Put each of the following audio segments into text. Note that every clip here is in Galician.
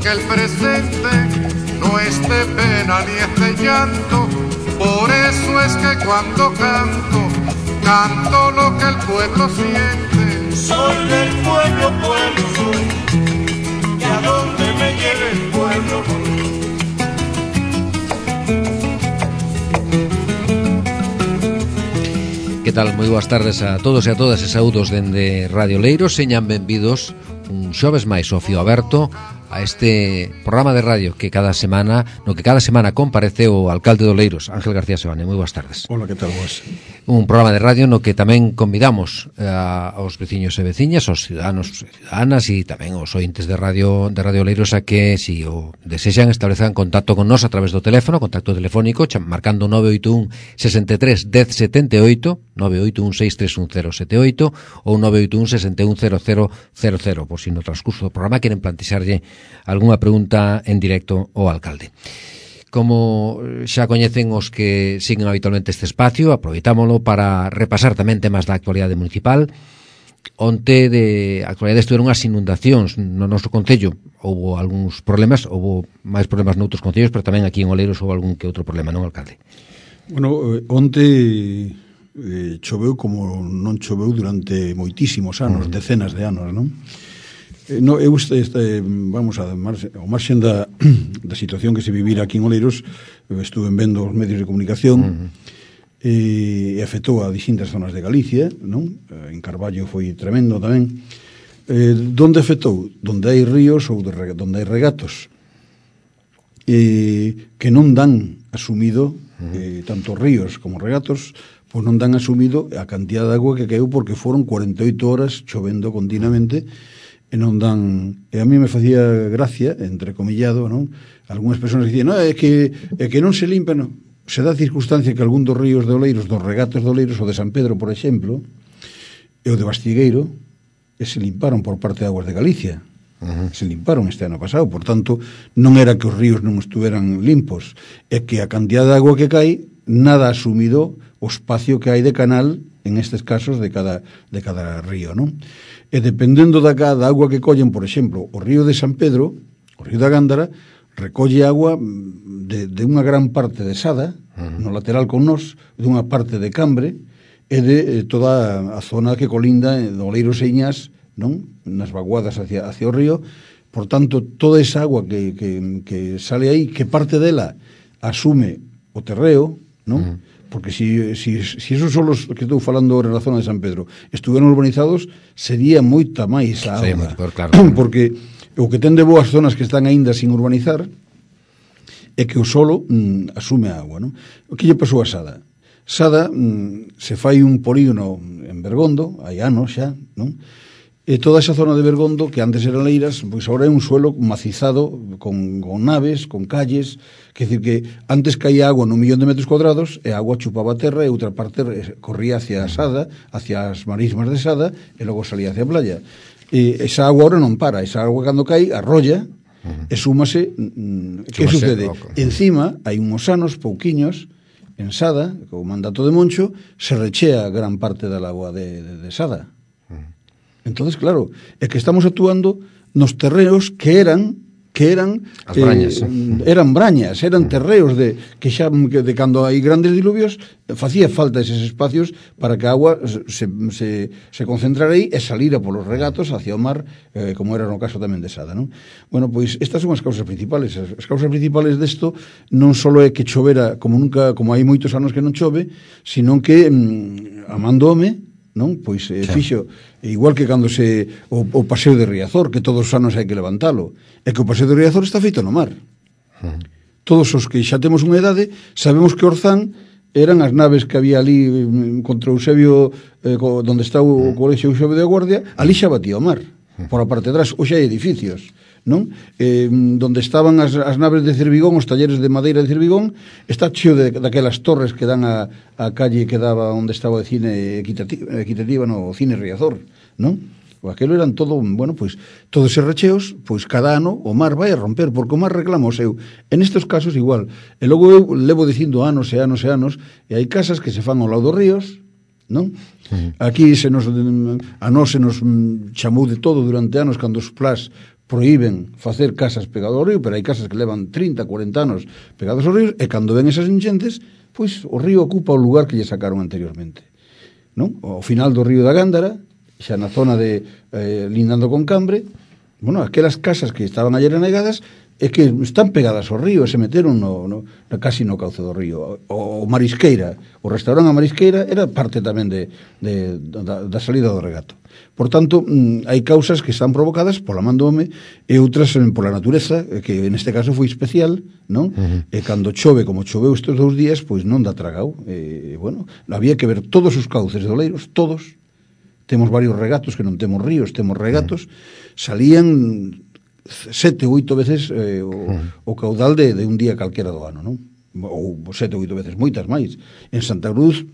que el presente no es de pena ni es de llanto. Por eso es que cuando canto, canto lo que el pueblo siente. Soy del pueblo, pueblo soy, y a donde me lleve el pueblo voy. Que tal? Moi boas tardes a todos e a todas e saúdos dende Radio Leiros. Señan benvidos un xoves máis ao Fío Aberto a este programa de radio que cada semana comparece o alcalde do Leiros, Ángel García Sebane. Moi boas tardes. Hola, que tal vos? Un programa de radio no que tamén convidamos aos veciños e veciñas, aos ciudadanos e ciudadanas e tamén aos ointes de Radio Leiros a que, si o desexan, establezan contacto con nós a través do teléfono, contacto telefónico, marcando 981 63 10 78, 981 631078 ou 981 61 0000, por si no transcurso do programa queren plantexarlle algunha pregunta en directo ao alcalde. Como xa coñecen os que siguen habitualmente este espacio, aproveitámolo para repasar tamén temas da actualidade municipal. Onte de actualidade estuveron as inundacións no noso concello. Houbo algúns problemas, houbo máis problemas noutros concellos, pero tamén aquí en Oleiros houbo algún que outro problema, non, alcalde? Bueno, onte choveu como non choveu durante moitísimos anos, decenas de anos, non? No, eu vamos ao marxen da situación que se vivira aquí en Oleiros, estuve vendo os medios de comunicación e afectou a distintas zonas de Galicia, non? En Carballo foi tremendo tamén. Donde afectou? Donde hai ríos ou donde hai regatos que non dan asumido, tanto ríos como regatos, pois non dan asumido a cantidad de agua que caeu, porque foron 48 horas chovendo continuamente e non dan. E a mí me facía gracia, entrecomillado, non? Algúnas persoas dicían, é que non se limpan, non. Se dá circunstancia que algún dos ríos de Oleiros, dos regatos de Oleiros, o de San Pedro, por exemplo, e o de Bastigueiro, se limparon por parte de Aguas de Galicia. Se limparon este ano pasado, por tanto, non era que os ríos non estuveran limpos, é que a cantidad de agua que cae nada asumido o espacio que hai de canal, en estes casos, de cada río, non? E dependendo da agua que collen, por exemplo, o río de San Pedro, o río da Gándara, recolle agua de unha gran parte de Sada, no lateral con nós, de unha parte de Cambre, e de toda a zona que colinda de Oleiros e Iñás, non? Nas vaguadas hacia o río. Por tanto, toda esa agua que sale aí, que parte dela asume o terreo, non? Porque si esos son os que estou falando ahora na zona de San Pedro estuveran urbanizados, sería moita máis a auga. Sí, claro. Porque o que ten de boas zonas que están aínda sin urbanizar é que o solo asume a agua, non? O que lle pasou a Sada? Sada se fai un polígono en Bergondo, hai anos xa, non? E toda esa zona de Bergondo, que antes eran leiras, pois agora é un suelo macizado con naves, con calles. Quer dizer que antes caía agua nun 1.000.000 de metros cuadrados e a agua chupaba a terra e outra parte corría hacia a Sada, hacia as marismas de Sada, e logo salía hacia a playa. E esa agua agora non para, esa agua cando cae arrolla e súmase. Que sucede? Encima hai uns anos pouquiños en Sada, co mandato de Moncho, se rechea gran parte da agua de Sada. Entonces, claro, é que estamos actuando nos terreos que eran as brañas, eran brañas, eran terreos de cando hai grandes diluvios, facía falta eses espacios para que a agua se concentrara aí e salira polos regatos hacia o mar, como era no caso tamén de Sada, non? Bueno, pois estas son as causas principales. As causas principales desto non só é que chovera como hai moitos anos que non chove, sino que amando home, non? Pois fixo, igual que cando o paseo de Riazor, que todos os anos hai que levantalo, é que o paseo de Riazor está feito no mar. Todos os que xa temos unha idade sabemos que Orzán eran as naves que había ali contra Eusebio, donde está o colexio Eusebio de Guardia, ali xa batía o mar, por a parte de atrás. Hoxe hai edificios, non? Donde estaban as naves de Cervigón, os talleres de madeira de Cervigón, está cheo daquelas torres que dan a calle que daba onde estaba o cine equitativa, no, o cine Riazor, non? O aquelo eran todo, bueno, pois todos eses recheos, pois cada ano o mar vai a romper, porque o mar reclama o seu. En estes casos igual. E logo eu levo dicindo anos e anos e anos, e hai casas que se fan ao lado dos ríos, non? Aquí a nós se nos chamou de todo durante anos cando os plás proíben facer casas pegadas ao río, pero hai casas que levan 30, 40 anos pegadas ao río, e cando ven esas enchentes, pois o río ocupa o lugar que lle sacaron anteriormente, non? Ao final do río da Gándara, xa na zona de lindando con Cambre, bueno, aquelas casas que estaban ayer anegadas é que están pegadas ao río e se meteron casi no cauce do río. O Marisqueira, o restaurante a Marisqueira era parte tamén da salida do regato. Por tanto, hai causas que están provocadas pola man do home e outras pola natureza, que neste caso foi especial, non? E cando chove, como choveu estes 2 días, pois non dá tragao. Bueno, había que ver todos os cauces de Oleiros, todos. Temos varios regatos que non temos ríos, temos regatos, salían 7 ou 8 veces o caudal de un día calquera do ano, non? Ou 7 ou 8 veces, moitas máis. En Santa Cruz,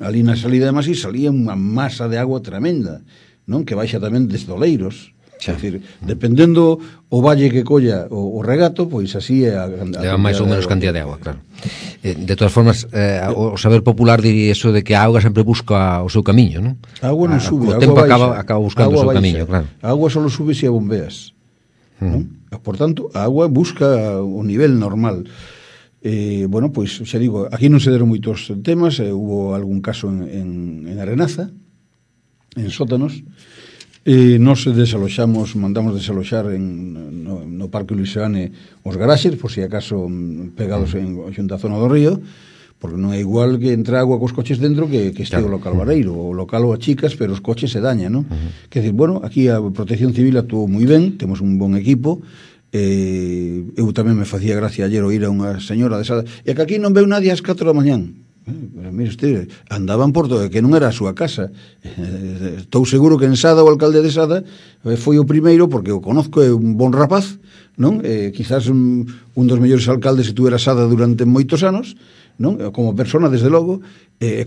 ali na salida de Masí, salía unha masa de agua tremenda, non? Que baixa tamén desde Oleiros. É dicir, dependendo o valle que colla o regato, pois así é leva máis ou menos cantidad de agua, claro. De todas formas, o saber popular diría eso de que a auga sempre busca o seu camiño, non? A agua non sube, o tempo acaba buscando o seu camiño, claro. A agua só sube se a bombeas. ¿No? Por tanto, a agua busca o nivel normal. Bueno, pois xa digo, aquí non se deron moitos temas, hubo algún caso en Arenaza, en sótanos, nos desaloxamos, mandamos desaloxar no Parque Luisiane os garaxes, por si acaso pegados xunta a zona do río, porque non é igual que entra agua cos coches dentro que este o local vareiro. O local o achicas, pero os coches se dañan, non? Quer dizer, bueno, aquí a Protección Civil actuou moi ben, temos un bon equipo. Eu tamén me facía gracia ayer oír a unha señora de Sada, e que aquí non veu nadie ás 4 da mañán. Pero mire usted, andaban por todo, que non era a súa casa. Estou seguro que en Sada o alcalde de Sada foi o primeiro, porque o conozco, é un bon rapaz, non? Quizás un dos mellores alcaldes que tuvera Sada durante moitos anos, non? Como persona, desde logo,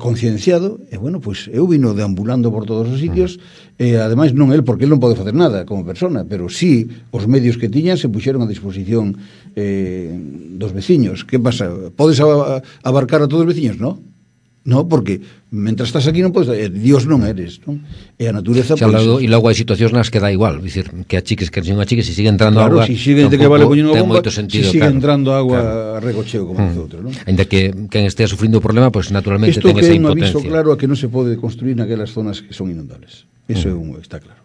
concienciado, e bueno, pois eu vino deambulando por todos os sitios, e ademais non el, porque el non pode facer nada como persona, pero sí os medios que tiñan se puxeron a disposición dos veciños. Que pasa? Podes abarcar a todos os veciños? Non? No, porque mentras estás aquí non podes, Dios non eres, non? E a natureza, pois, e logo hai situacións nas que dá igual, dicir, que achiques, que non achiques, se sigue entrando claro, agua, si sigue que vale poñendo unha bomba, sentido, si sigue entrando agua a regocheo, como dice outro, non? Ainda que quen estea sufrindo o problema, pois naturalmente ten esa impotencia. Isto que é un aviso claro a que non se pode construir naquelas zonas que son inundables. Eso está claro.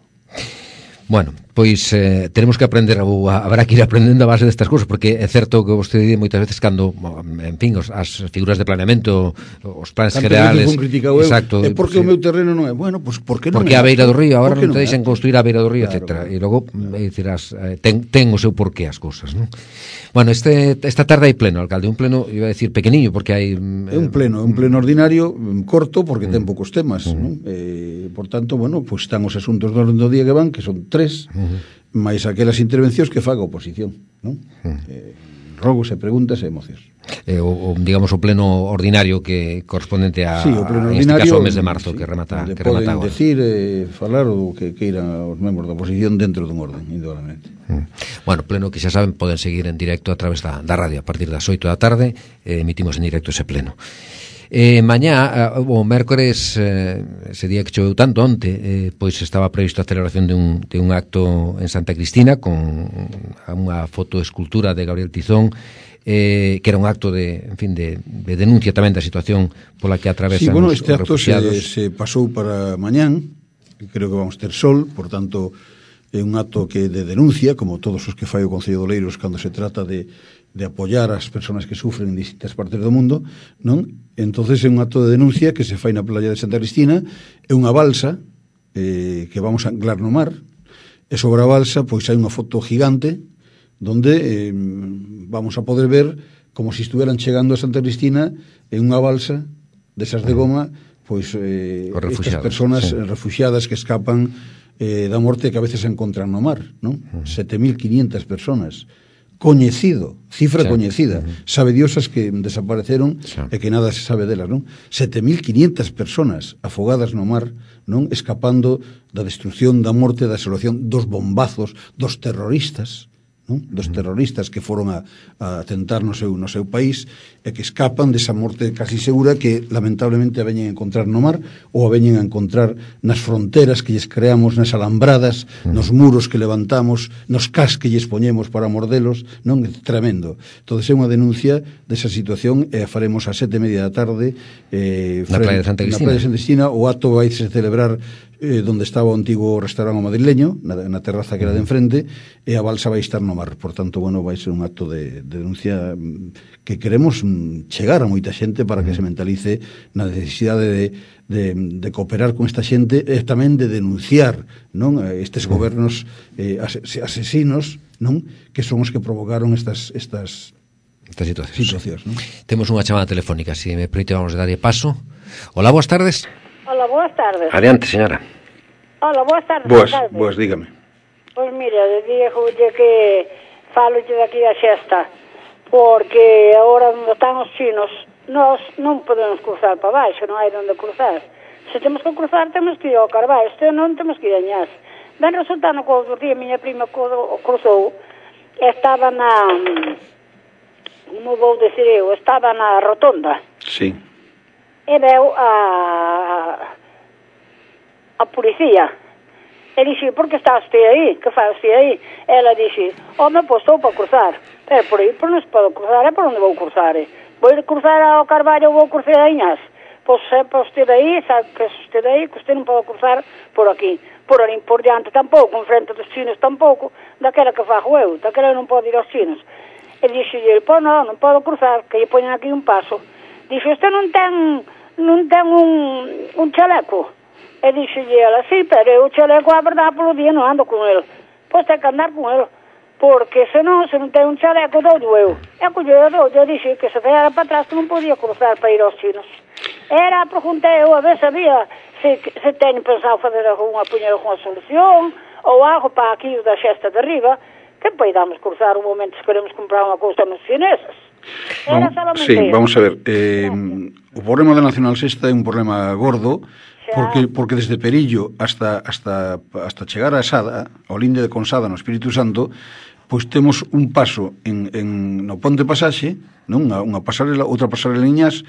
Bueno, pois tenemos que aprender, ou habrá que ir aprendendo a base destas cousas, porque é certo que vostede di moitas veces cando, en fin, as figuras de planeamento, os planes generales, exacto, é porque o meu terreno non é, bueno, pois por que non? Porque a beira do río, agora non te deixan construir a beira do río, etcétera. E logo dirás, ten o seu porqué as cousas, non? Bueno, esta tarde hai pleno, alcalde, un pleno, iba a decir pequeniño, porque hai é un pleno ordinario corto, porque ten poucos temas, non? Por tanto, bueno, pois están os asuntos do orden do día que van, que son 3, máis aquelas intervencións que faga a oposición, non? Rogos e preguntas e emocións. Digamos, o pleno ordinario que correspondente a, sí, o pleno en este caso, o mes de marzo, sí, que remata poden agora. Decir, falar o que queiran os membros da oposición dentro dun orden, indudablemente. Bueno, pleno que xa saben, poden seguir en directo a través da radio a partir das 8 da tarde, emitimos en directo ese pleno. Mañá, o mércores, ese día que choveu tanto onte, pois estaba previsto a celebración de un acto en Santa Cristina con unha fotoescultura de Gabriel Tizón, que era un acto de denuncia tamén da situación pola que atravesan os refugiados. Se pasou para mañán, creo que vamos ter sol, por tanto é un acto que de denuncia, como todos os que fai o Concello de Oleiros cando se trata de apoiar as persoas que sufren en distintas partes do mundo, non? Entonces é un acto de denuncia que se fai na playa de Santa Cristina, é unha balsa que vamos a anclar no mar, e sobre a balsa pois hai unha foto gigante donde vamos a poder ver como se estuvieran chegando a Santa Cristina en unha balsa desas de goma, pois estas persoas refugiadas que escapan da morte que a veces se encontran no mar, non? 7.500 personas, coñecido, cifra coñecida, sabe Dios as que desapareceron e que nada se sabe delas, non? 7.500 personas afogadas no mar, non? Escapando da destrucción, da morte, da desolación, dos bombazos, dos terroristas, non? Dos terroristas que foron a atentar no seu país e que escapan desa morte casi segura que lamentablemente a veñen a encontrar no mar ou a veñen a encontrar nas fronteras que lles creamos, nas alambradas, nos muros que levantamos, nos cas que lles poñemos para mordelos, non? É tremendo. Entón é unha denuncia desa situación e a faremos a 7:30 da tarde na Praia de Santa Cristina. O acto vai se celebrar donde estaba o antigo restaurante madrileño, na terraza que era de enfrente, e a balsa vai estar no mar. Por tanto, bueno, vai ser un acto de denuncia que queremos chegar a moita xente para que se mentalice na necesidade de cooperar con esta xente e tamén de denunciar, non, estes gobernos asesinos, non, que son os que provocaron estas situacións, non? Temos unha chamada telefónica, se me permite vamos a darlle paso. Hola, boas tardes. Hola, boas tardes. Adiante, señora. Hola, boas tardes. Boas, dígame. Pois mira, dígolle que falolle daqui a xesta, porque agora onde están os chinos, nós non podemos cruzar para baixo, non hai onde cruzar. Se temos que cruzar, temos que ir ao Carballo, se non temos que ir a Ñas. Ben resultando que outro día miña prima cruzou, estaba como vou decir eu, estaba na rotonda. Sí. E veu a policía e dixe, por que está usted aí? Que faz usted aí? Ela dixe, home, pois estou para cruzar, pero por aí non se pode cruzar, é por onde vou cruzar? Vou cruzar ao Carballo ou vou cruzar a Iñas? Pois é para usted aí, sabe que é usted aí, que usted non pode cruzar por aquí, por ali por diante tampouco, en frente dos chinos tampouco, daquela que fago eu, daquela non pode ir aos chinos. E dixe, pois non podo cruzar, que lle poñen aquí un paso. Dixe, usted non ten un chaleco? E dixelle ela, sí, pero eu o chaleco, a verdade, polo día non ando con ele. Pois ten que andar con ele, porque se non ten un chaleco, dou eu. E colleu, eu dixe que se era para atrás que non podía cruzar para ir aos chinos. Era, preguntei eu, a ver se había, se teño pensado fazer poñer alguna solución, ou algo para aquí da xesta de arriba, que poidamos cruzar un momento se queremos comprar unha cousa nos chineses. Sí, vamos a ver, o problema da Nacional Sexta é un problema gordo, porque desde Perillo hasta chegar a Sada, ao linde de Consada no Espírito Santo, pois temos un paso no Ponte Pasaxe, non? Unha pasarela, outra pasarela en Iñas,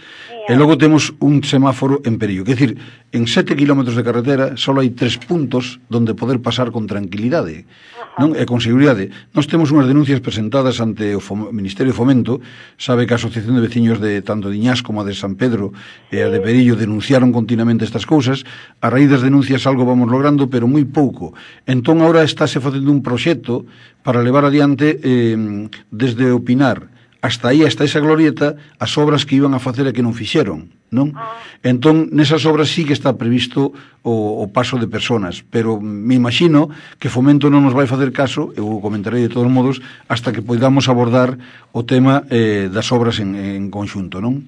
e logo temos un semáforo en Perillo. Quer dicir, en 7 kilómetros de carretera só hai 3 puntos donde poder pasar con tranquilidade, non? E con seguridade. Nós temos unhas denuncias presentadas ante o Ministerio de Fomento. Sabe que a Asociación de Veciños de tanto de Iñas como a de San Pedro e a de Perillo denunciaron continuamente estas cousas. A raíz das denuncias algo vamos logrando, pero moi pouco. Entón, agora estáse facendo un proxecto para levar adiante desde o Pinar hasta aí, hasta esa glorieta, as obras que iban a facer e que non fixeron, non? Entón, nesas obras sí que está previsto o paso de personas, pero me imagino que Fomento non nos vai facer caso, eu comentarei de todos modos, hasta que podamos abordar o tema das obras en conxunto, non?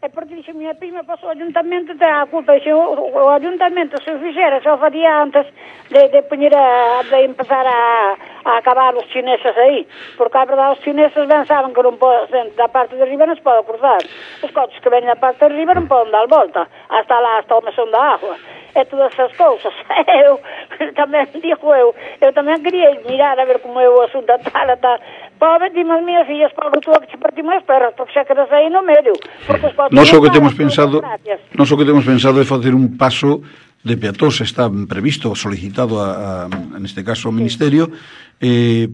É porque dixe minha prima, pasou o ayuntamento, ten a culpa, dixe, o ayuntamento se o fixera, se o facía antes de poñer de empezar a acabar os chineses aí, porque a verdade os chineses ben saben que non poden, da parte de arriba non se pode cruzar, os coches que ven da parte de arriba non poden dar volta, hasta lá, hasta o mesón da agua, e todas esas cousas. Eu tamén, eu tamén quería mirar a ver como é o asunto tal. Pobre, dime as minhas fillas, pobre, tú que te partimos as perras, porque xa quedas aí no medio. Nós o que temos pensado é facer un paso de peatóns, está previsto, solicitado neste caso ao Ministerio,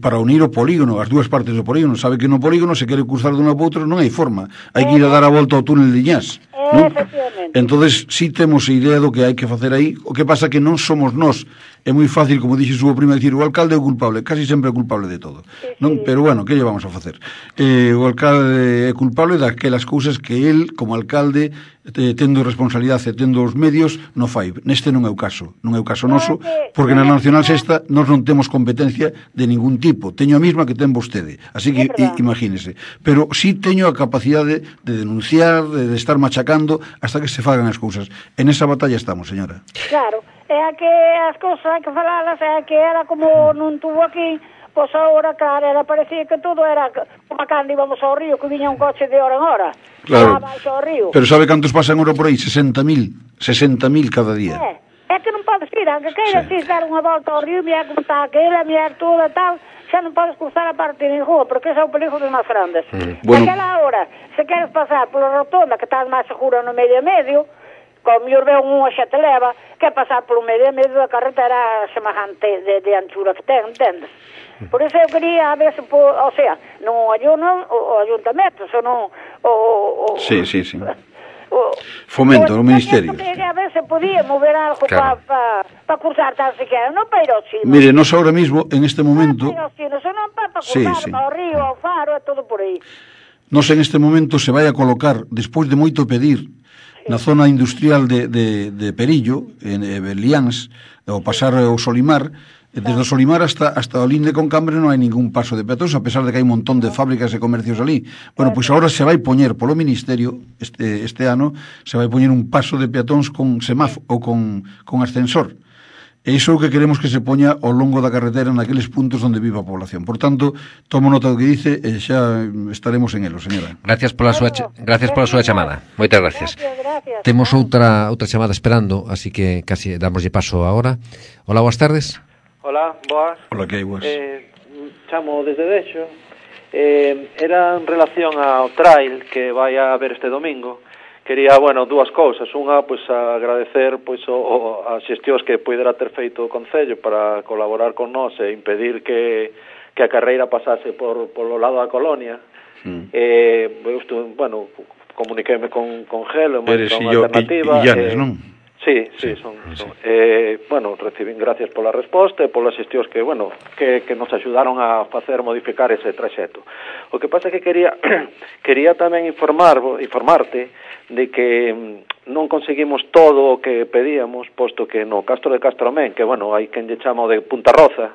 para unir o polígono, as dúas partes do polígono. Sabe que no polígono se quere cruzar de unha para outra, non hai forma, hai que ir a dar a volta ao túnel de Iñas, non? Entonces, si temos a idea do que hai que facer aí. O que pasa que non somos nós. É moi fácil, como dixe súa prima, dicir o alcalde é o culpable, casi sempre é culpable de todo, non? Pero bueno, que lle vamos a facer? O alcalde é culpable daquelas cousas que el, como alcalde, tendo responsabilidade e tendo os medios, non fai. Neste non é o caso, non é o caso noso, porque na Nacional Sexta nós non temos competencia de ningún tipo. Teño a mesma que ten vostede, así que imagínese. Pero sí teño a capacidade de denunciar, de estar machacando hasta que se fagan as cousas. En esa batalla estamos, señora. Claro, é que as cousas hai que falalas, é que era como non tuvo aquí, pois agora, claro, era, parecía que todo era como cando íbamos ao río, que viña un coche de hora en hora. Claro, pero sabe cantos pasan hora por aí? 60.000 cada día. É que non podes ir, aunque queiras ir dar unha volta ao río, mirar como está aquela, mirar todo e tal, xa non podes cruzar a parte de rúa, porque ese é o peligro dos máis grandes. Bueno. Naquela hora, se queres pasar pola rotonda, que estás máis segura no medio e medio, como mellor veo unha xa te leva, que pasar polo medio e medio da carretera semejante de anchura que ten, entendes? Por iso eu quería a ver se, o sea, non o ayuntamento, senón Sí. Fomento, o ministerio. A ver se podía mover algo para cruzar tan siquiera, non para ir ao chino. Mire, nos ahora mismo, en este momento... Non para ir ao chino, senón para cruzar, para o río, ao faro, e todo por aí. Nos en este momento se vai a colocar, despois de moito pedir, na zona industrial de Perillo, en Beliáns, ao pasar o Solimar, desde o Solimar hasta o Linde con Cambre non hai ningún paso de peatóns, a pesar de que hai un montón de fábricas e comercios ali. Bueno, pois agora se vai poñer polo Ministerio, este ano, se vai poñer un paso de peatóns con semáforo ou con ascensor. E iso é o que queremos que se poña ao longo da carretera naqueles puntos onde vive a población. Por tanto, tomo nota do que dice e xa estaremos en elo, señora. Gracias pola súa chamada. Moitas gracias. Gracias. Temos outra chamada esperando, así que casi damoslle paso agora. Hola, boas tardes. Hola, boas. Hola, que hai boas. Chamo desde Dexo. Era en relación ao trail que vai a haber este domingo. Quería, dúas cousas. Unha, pois, agradecer pois as xestións que poidera ter feito o Concello para colaborar con nós e impedir que a carreira pasase polo lado da colonia. Comuniqueime con Gelo, unha alternativa. Illanes, non? Sí, son. Recibín gracias pola resposta e polas xestións que nos axudaron a modificar ese traxeto. O que pasa é que quería tamén informarte de que non conseguimos todo o que pedíamos, posto que no Castro de Castromén, que hai quen lle chama o de Punta Roza,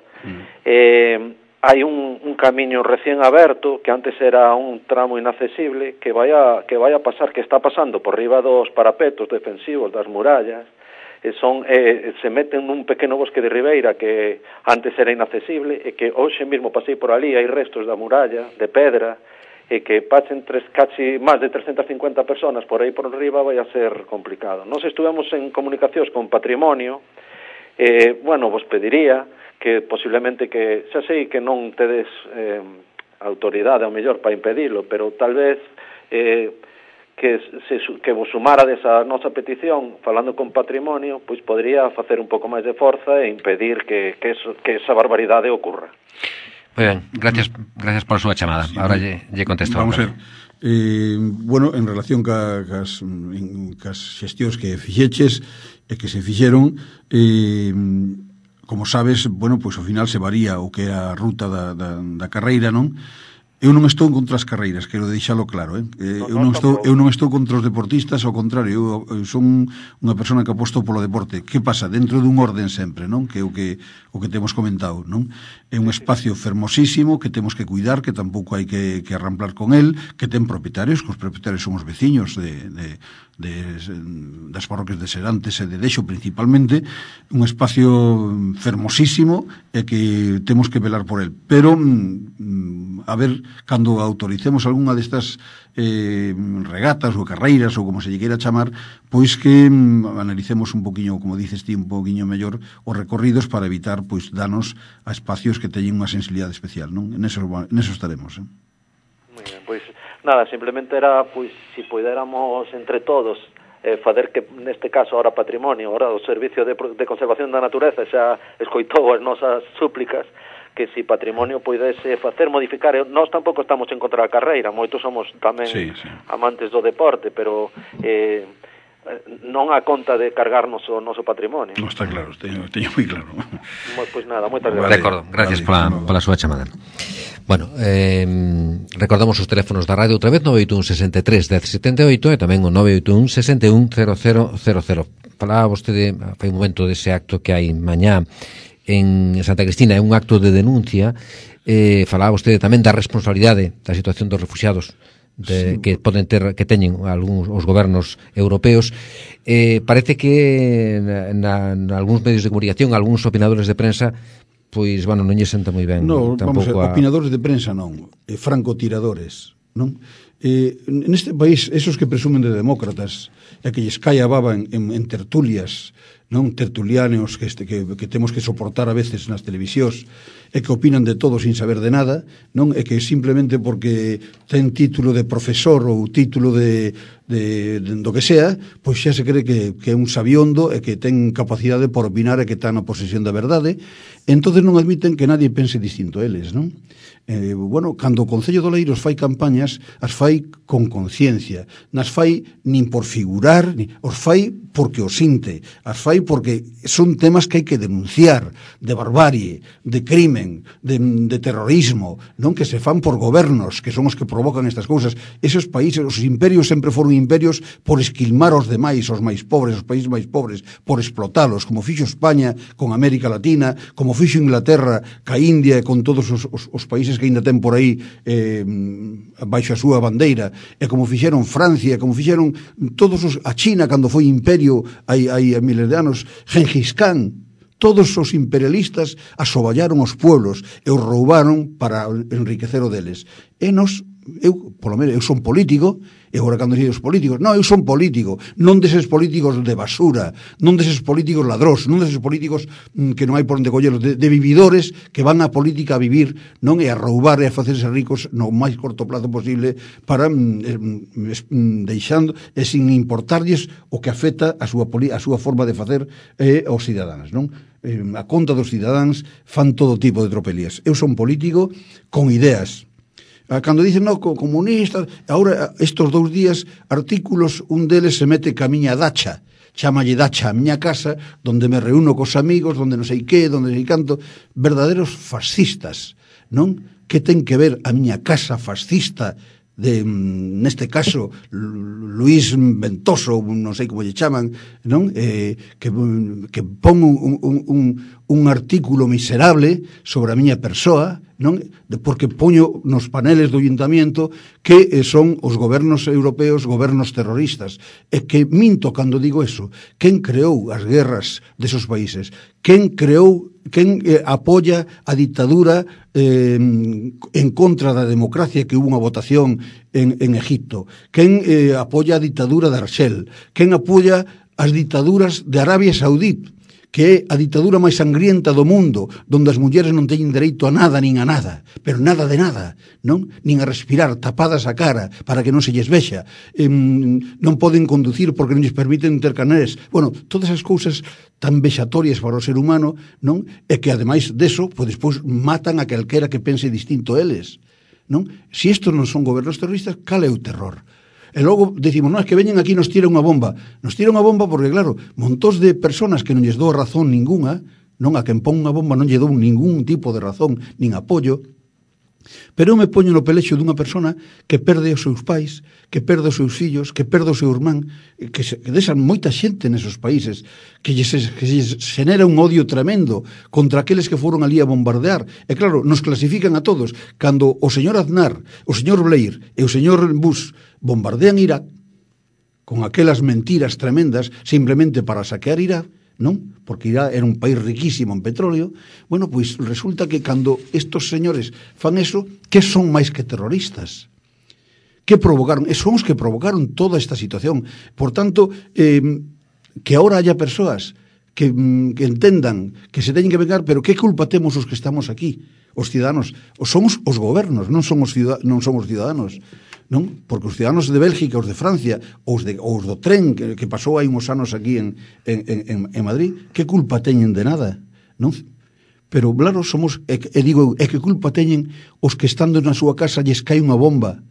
hai un camiño recién aberto que antes era un tramo inaccesible que vai a pasar, que está pasando por riba dos parapetos defensivos das murallas, se meten nun pequeno bosque de ribeira que antes era inaccesible e que hoxe mesmo pasei por ali, hai restos da muralla de pedra e que pasen casi máis de 350 personas por aí por riba vai a ser complicado. Nos estuvemos en comunicacións con Patrimonio, vos pediría que posiblemente que, xa sei que non tedes autoridade ao mellor para impedilo, pero tal vez que vos sumarades a nosa petición falando con Patrimonio, pois podría facer un pouco máis de forza e impedir que esa barbaridade ocurra. Moi ben, gracias por a súa chamada. Sí, ahora lle contesto. Vamos a ver. En relación cas xestións que fixeches e que se fixeron, como sabes, pois ao final se varía o que é a ruta da carreira, non? Eu non estou contra as carreiras, quero deixalo claro, eu non estou contra os deportistas, ao contrario, eu son unha persona que aposto polo deporte. Que pasa? Dentro dun orden sempre, non? Que é o que temos comentado, non? É un espacio fermosísimo que temos que cuidar, que tampouco hai que arramplar con el, que ten propietarios, que os propietarios son os veciños das parroquias de Serantes e de Dexo principalmente, un espacio fermosísimo e que temos que velar por el. Pero, a ver, cando autoricemos algunha destas regatas ou carreiras ou como se lle queira chamar, pois que analicemos un poquinho, como dices ti, un poquinho mellor os recorridos para evitar pois danos a espacios que teñen unha sensibilidade especial, non? En eso estaremos. Moi ben, pois nada, simplemente era pois si poidéramos entre todos fazer que neste caso ahora Patrimonio, ahora o Servicio de Conservación da Natureza xa escoitou as nosas súplicas, que si Patrimonio poidese modificar, nós tampouco estamos en contra da carreira, moitos somos tamén amantes do deporte, pero non a conta de cargarnos o noso patrimonio. Non está claro, teño moi claro. Pois nada, moitas gracias. Recordo, gracias pola súa chamada. Bueno, recordamos os teléfonos da radio outra vez, 981 63 1078 e tamén o 981 61 0000. Falaba vostede fai un momento dese acto que hai mañá en Santa Cristina, é un acto de denuncia. Falaba vostede tamén da responsabilidade da situación dos refuxiados que poden ter, que teñen algúns os gobernos europeos. Parece que en algúns medios de comunicación, algúns opinadores de prensa, pois, non lle senta moi ben. Non, vamos a opinadores de prensa non, francotiradores, non? Neste país, esos que presumen de demócratas e que lles cae a baba en tertulias, non, tertulianos que temos que soportar a veces nas televisións e que opinan de todo sin saber de nada, non, e que simplemente porque ten título de profesor ou título de do que sea, pois xa se cree que é un sabiondo e que ten capacidade por opinar e que está na posesión da verdade. Entonces non admiten que nadie pense distinto a eles, non? Bueno, cando o Concello de Oleiros fai campañas, as fai con conciencia, nas fai nin por figurar, os fai porque o sinte, as fai porque son temas que hai que denunciar, de barbarie, de crimen, de terrorismo, non, que se fan por gobernos, que son os que provocan estas cousas. Esos países, os imperios sempre foron imperios por esquilmar os demais, os máis pobres, os países máis pobres, por explotalos, como fixo España con América Latina, como fixo Inglaterra ca India e con todos os países que ainda ten por aí baixo a súa bandeira, e como fixeron Francia, como fixeron a China cando foi imperio hai miles de anos, Gengis Khan. Todos os imperialistas asoballaron os pueblos e os roubaron para enriquecer o deles. Polo menos, eu son político, e agora cando dicen os políticos, non, eu son político, non deses políticos de basura, non deses políticos ladrós, non deses políticos que non hai por onde colleros, de vividores que van á política a vivir, non, e a roubar e a facerse ricos no máis corto plazo posible para deixando e sin importarlles o que afecta a súa forma de facer aos cidadáns, non? A conta dos cidadáns fan todo tipo de tropelías. Eu son político con ideas. Cando dicen, no, comunistas, agora estes 2 días artículos, un deles se mete ca miña dacha, chamalle dacha a miña casa, donde me reúno cos amigos, donde non sei que, donde sei canto, verdaderos fascistas, non? Que ten que ver a miña casa fascista neste caso Luis Ventoso, non sei como lle chaman, non? Que pon un artículo miserable sobre a miña persoa, non? Porque poño nos paneles do ayuntamiento que son os gobernos europeos gobernos terroristas, e que minto cando digo eso. Quen creou as guerras desos países? Quen apoia a dictadura en contra da democracia, que hubo unha votación en Egipto? Quen apoia a dictadura de Arxel? Quen apoia as dictaduras de Arabia Saudí, que é a dictadura máis sangrienta do mundo, donde as mulleres non teñen dereito a nada nin a nada, pero nada de nada, non? Nin a respirar, tapadas a cara para que non se lles vexa, non poden conducir porque non lles permiten ter carnés. Bueno, todas as cousas tan vexatorias para o ser humano, non? E que ademais deso, pois despois matan a calquera que pense distinto a eles, non? Se estos non son gobernos terroristas, cal é o terror? E logo decimos, non, é que veñen aquí e nos tiran unha bomba. Nos tiran unha bomba porque, claro, montós de personas que non lles dou razón ninguna, non, a quen pon unha bomba non lle dou ningún tipo de razón, nin apoio, pero eu me poño no pelexo dunha persona que perde os seus pais, que perde os seus fillos, que perde o seu irmán, que desan moita xente nesos países, que lles genera un odio tremendo contra aqueles que foron ali a bombardear. E claro, nos clasifican a todos. Cando o señor Aznar, o señor Blair e o señor Bush bombardean Irak con aquelas mentiras tremendas simplemente para saquear Irak, non? Porque Irak era un país riquísimo en petróleo. Bueno, pois resulta que cando estos señores fan eso, que son máis que terroristas? Que provocaron? Son os que provocaron toda esta situación. Por tanto, que ahora haya persoas que entendan que se teñen que vengar, pero que culpa temos os que estamos aquí? Os ciudadanos, somos os gobernos, non somos ciudadanos, non? Porque os ciudadanos de Bélgica, os de Francia, os do tren que pasou hai uns anos aquí en Madrid, que culpa teñen de nada, non? Pero claro, que culpa teñen os que estando na súa casa lles cae unha bomba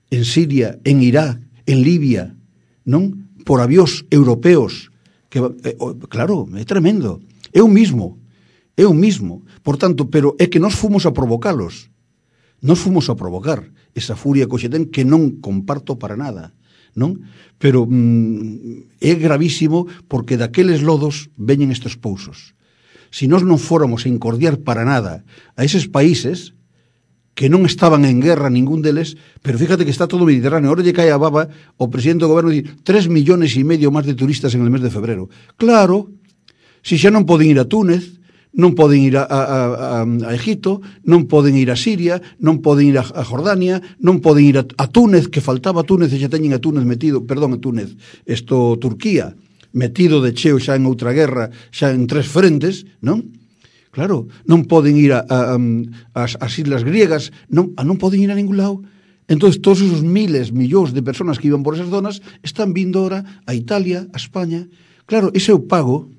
en Siria, en Irak, en Libia, non? Por avións europeos, que claro, é tremendo. É o mismo. Por tanto, pero é que nós fomos a provocalos. Nós fomos a provocar esa furia que hoxe ten, que non comparto para nada, non? Pero é gravísimo porque daqueles lodos veñen estes pousos. Se nós non fóramos a incordiar para nada a eses países que non estaban en guerra ningún deles, pero fíjate que está todo o Mediterráneo. Ahora lle cae a baba o presidente do goberno dice 3,5 millones máis de turistas en el mes de febrero. Claro, se xa non poden ir a Túnez, non poden ir a Egipto, non poden ir a Siria, non poden ir a Jordania, non poden ir a Túnez, que faltaba Túnez e xa teñen a Túnez metido, perdón, a Túnez, Turquía, metido de cheo xa en outra guerra, xa en 3 frentes, non? Claro, non poden ir ás islas griegas, non poden ir a ningún lado. Entón, todos esos millóns de personas que iban por esas zonas están vindo ahora a Italia, a España. Claro, ese é o pago.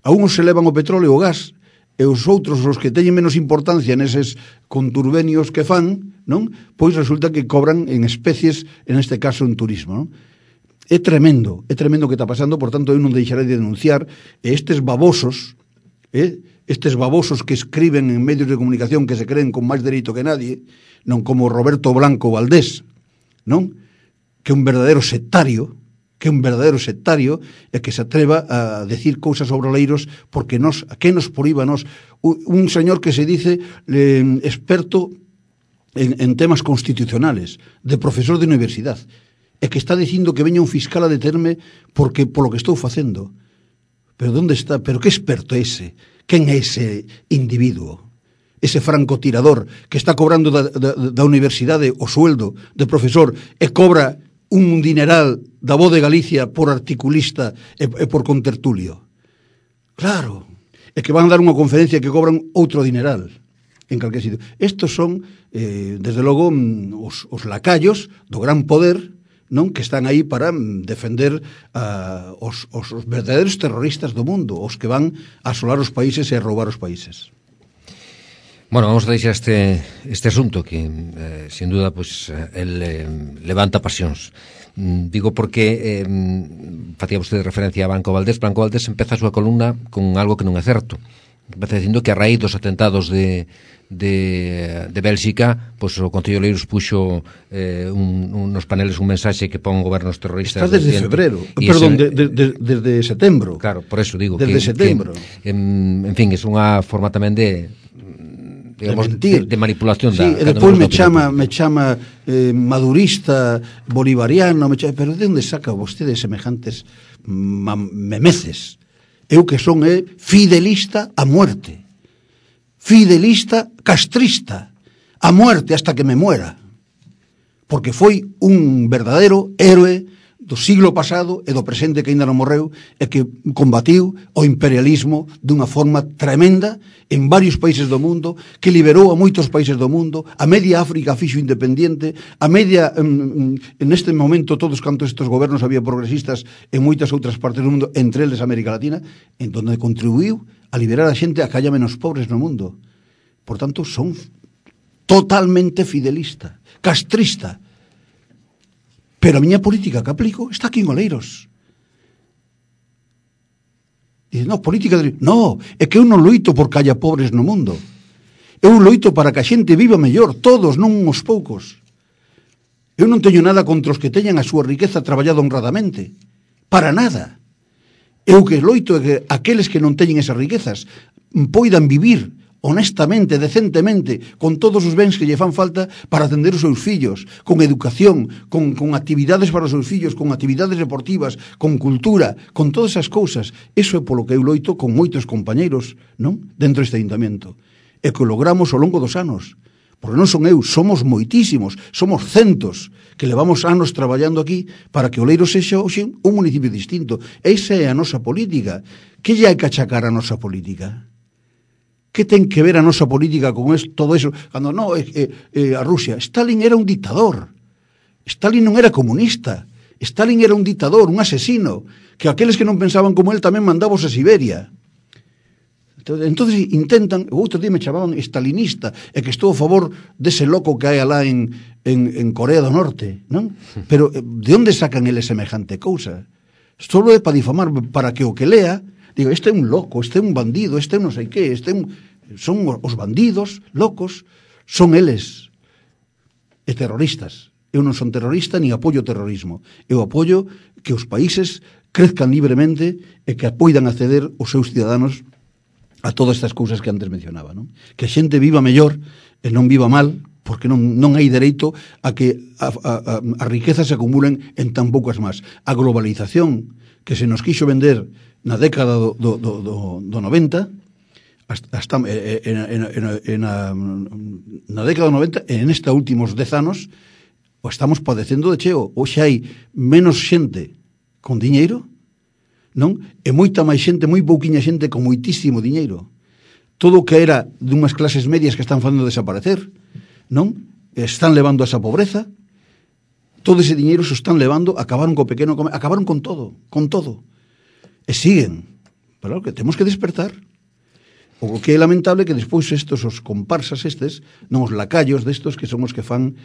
A uns se levan o petróleo e o gas, e os outros, os que teñen menos importancia neses conturbenios que fan, non? Pois resulta que cobran en especies, en este caso en turismo, non? É tremendo o que está pasando, por tanto eu non deixarei de denunciar estes babosos que escriben en medios de comunicación que se creen con máis dereito que nadie, non como Roberto Blanco Valdés, non? Que é un verdadero sectario, e que se atreva a decir cousas sobre oleiros, porque a que nos proíba nos un señor que se dice experto en temas constitucionales, de profesor de universidade, e que está dicindo que veña un fiscal a determe porque polo que estou facendo. Pero onde está? Pero que experto é ese? Quen é ese individuo? Ese francotirador que está cobrando da universidade o sueldo de profesor e cobra un dineral da Voz de Galicia por articulista e por contertulio. Claro, é que van dar unha conferencia que cobran outro dineral en calquer sitio. Estos son, desde logo, os lacayos do gran poder, non, que están aí para defender os verdadeiros terroristas do mundo, os que van a asolar os países e a roubar os países. Bueno, vamos a deixar este asunto que, sin duda, pues, levanta pasións. Digo porque facía vostede referencia a Blanco Valdés. Blanco Valdés empeza a súa columna con algo que non é certo. Empeza dicindo que a raíz dos atentados de Bélxica, pues, o Concello de Oleiros puxo nos paneles un mensaxe que pon gobernos terroristas. Está desde febrero, perdón, desde setembro. Claro, por eso digo desde setembro. En fin, é unha forma tamén de manipulación. Sí, e depois me chama madurista, bolivariano, pero de onde saca vostede semejantes memeces? Eu que son fidelista a muerte, fidelista castrista a muerte hasta que me muera, porque foi un verdadeiro héroe do siglo pasado e do presente que ainda non morreu e que combatiu o imperialismo dunha forma tremenda en varios países do mundo, que liberou a moitos países do mundo, a media África fixo independiente, a media en este momento todos cantos estes gobernos había progresistas en moitas outras partes do mundo, entre eles América Latina, en donde contribuiu a liberar a xente a que haya menos pobres no mundo. Por tanto, son totalmente fidelista, castrista. Pero a miña política que aplico está aquí en Oleiros. Dice, no, política de... No, é que eu non loito porque haya pobres no mundo. Eu loito para que a xente viva mellor, todos, non uns poucos. Eu non teño nada contra os que teñan a súa riqueza traballada honradamente. Para nada. Eu que loito é que aqueles que non teñen esas riquezas poidan vivir honestamente, decentemente, con todos os bens que lle fan falta para atender os seus fillos, con educación, con actividades para os seus fillos, con actividades deportivas, con cultura, con todas esas cousas. Eso é polo que eu loito con moitos compañeiros, non? Dentro deste ayuntamiento. E que o logramos ao longo dos anos. Porque non son eu, somos moitísimos, somos centos que levamos anos traballando aquí para que Oleiros sexa hoxe un municipio distinto. Esa é a nosa política. Que lle hai que achacar a nosa política? Que ten que ver a nosa política con todo eso? Cando non, a Rusia. Stalin era un dictador. Stalin non era comunista. Stalin era un dictador, un asesino, que aqueles que non pensaban como él tamén mandábos a Siberia. Entonces intentan, o outro día me chamaban stalinista, e que estou a favor dese loco que hai alá en Corea do Norte, non? Pero de onde sacan eles semejante cousa? Solo é para difamar, para que o que lea digo, este é un loco, este é un bandido, este é non sei que, son os bandidos, locos, son eles, e terroristas. Eu non son terrorista, ni apoio o terrorismo. Eu apoio que os países crezcan libremente e que poidan acceder os seus ciudadanos a todas estas cousas que antes mencionaba, non? Que a xente viva mellor e non viva mal, porque non hai dereito a que as riquezas se acumulen en tan poucas máis. A globalización que se nos quixo vender na década do 90, hasta na década do 90 e nesta últimos 10 anos o estamos padecendo de cheo. Hoxe hai menos xente con diñeiro, non? E moita máis xente, moi pouquiña xente con moitísimo diñeiro. Todo o que era dunhas clases medias que están facendo desaparecer, non? Están levando a esa pobreza. Todo ese diñeiro se están levando, acabaron co pequeno, acabaron con todo. E siguen. Pero que temos que despertar. O que é lamentable que despois estos, os comparsas estes, non os lacallos destos que son os que fan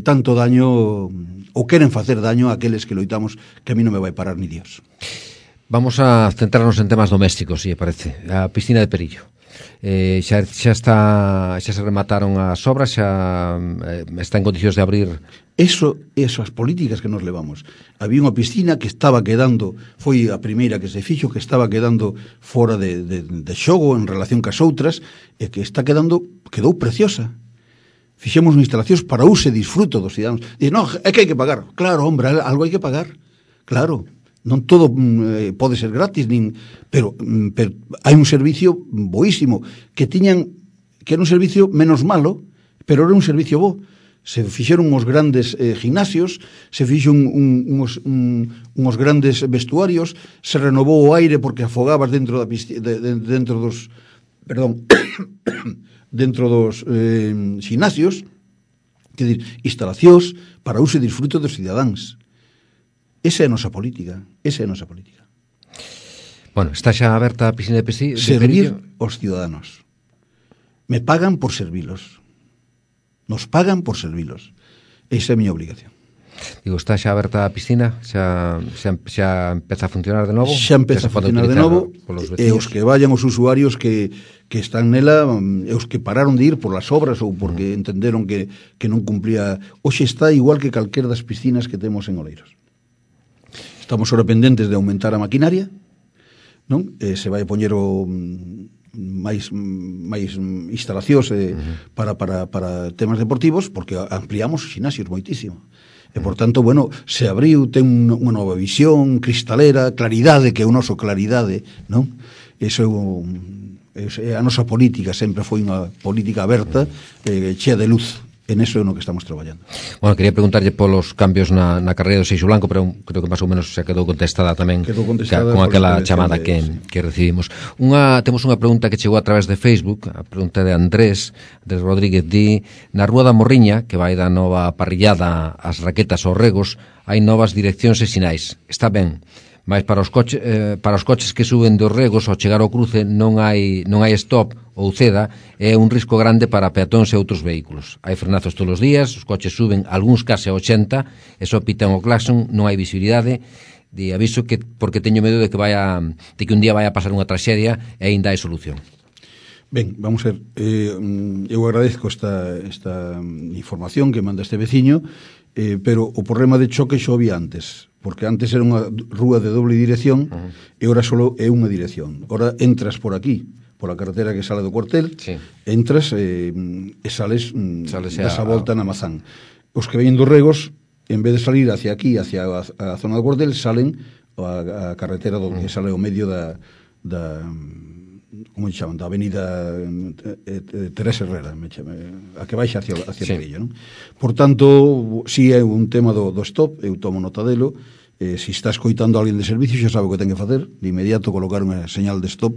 tanto daño ou queren facer daño a aqueles que loitamos, que a mí non me vai parar ni Dios. Vamos a centrarnos en temas domésticos, si parece. A piscina de Perillo. Xa se remataron as obras, xa está en condicións de abrir. Eso as políticas que nos levamos. Había unha piscina que estaba quedando, foi a primeira que se fixo, que estaba quedando fora de xogo en relación cas outras, e que quedou preciosa. Fixemos instalacións para uso e disfruto dos cidadáns. Dice, non, é que hai que pagar. Claro, hombre, algo hai que pagar. Claro, non todo pode ser gratis, pero hai un servicio boísimo que era un servicio menos malo, pero era un servicio bo. Se fixeron uns grandes gimnasios, se fixeron uns grandes vestuarios, se renovou o aire porque afogabas dentro dos gimnasios, quer dizer, instalacións para uso e disfrute dos cidadáns. Esa é a nosa política. Bueno, está xa aberta a piscina de Perillo. Servir aos ciudadanos. Me pagan por servilos. Nos pagan por servilos. Esa é a miña obligación. Digo, está xa aberta a piscina? Xa empeza a funcionar de novo? Xa empeza a funcionar de novo, e os que vayan os usuarios que están nela, e os que pararon de ir por las obras ou porque entenderon que non cumplía. Hoxe está igual que calquera das piscinas que temos en Oleiros. Estamos ahora pendentes de aumentar a maquinaria, non? Se vai poñer máis instalacións para temas deportivos, porque ampliamos os gimnasios moitísimo. E, por tanto, bueno, se abriu, ten unha nova visión cristalera, claridade, que é o noso claridade, non? Eso é a nosa política, sempre foi unha política aberta, chea de luz. En eso é no que estamos traballando. Bueno, quería preguntarlle polos cambios na carreira do Seixo Blanco, pero creo que máis ou menos xa quedou contestada tamén con aquela chamada que recibimos. Temos unha pregunta que chegou a través de Facebook, a pregunta de Andrés Rodríguez, di: na Rúa da Morriña, que vai da nova parrillada ás raquetas aos regos, hai novas direccións e sinais. Está ben, mas para os coches que suben dos regos ao chegar ao cruce non hai stop ou ceda, é un risco grande para peatóns e outros vehículos. Hai frenazos todos os días, os coches suben algúns case a 80 e só pitan o claxon, non hai visibilidade. De aviso que porque teño medo de que un día vai a pasar unha traxedia e aínda hai solución. Ben, vamos a ver, eu agradezco esta información que manda este veciño, pero o problema de choque xo había antes, porque antes era unha rúa de doble dirección e ora só é unha dirección. Ora entras por aquí, por a carretera que sale do cuartel, sí. Entras e sales das a volta na Mazán. Os que veñen dos regos, en vez de salir hacia aquí, hacia a zona do cuartel, salen a carretera que sale ao medio da como chaman, da avenida Teresa Herrera, a que baixa hacia Perillo, non? Por tanto, si é un tema do stop, eu tomo nota delo. Se está escoitando a alguén de servicio, xa sabe o que ten que facer, de inmediato colocar unha señal de stop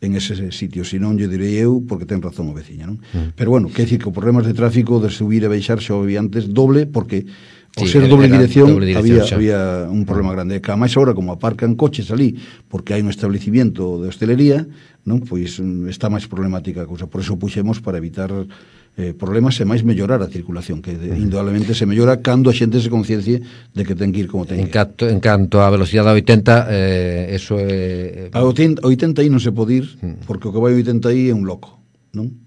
en ese sitio, se non lle direi eu, porque ten razón o veciña, non? Pero bueno, quer dicir que os problemas de tráfico de subir e baixar xa había antes doble, porque ao ser doble dirección había un problema grande. Que a máis agora, como aparcan coches ali, porque hai un establecimiento de hostelería, non? Pois está máis problemática a cousa. Por eso puxemos para evitar problemas e máis mellorar a circulación, que indudablemente se mellora cando a xente se conciencie de que ten que ir como ten que ir. En canto a velocidade a 80, eso é... A 80 aí non se pode ir, porque o que vai a 80 aí é un loco, non?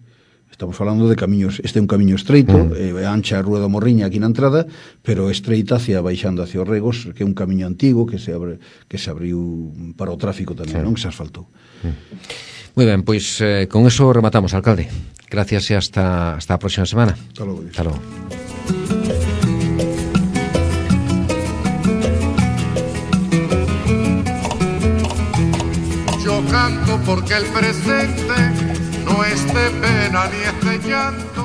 Estamos falando de camiños, este é un camiño estreito, ancha a Rúa da Morriña aquí na entrada, pero estreita baixando hacia os regos, que é un camiño antigo que se abriu para o tráfico tamén, non? Que se asfaltou. Moi ben, pois con eso rematamos, alcalde. Gracias e hasta a próxima semana. Hasta logo. Hasta logo. Yo canto porque el presente no es de pena ni es de llanto.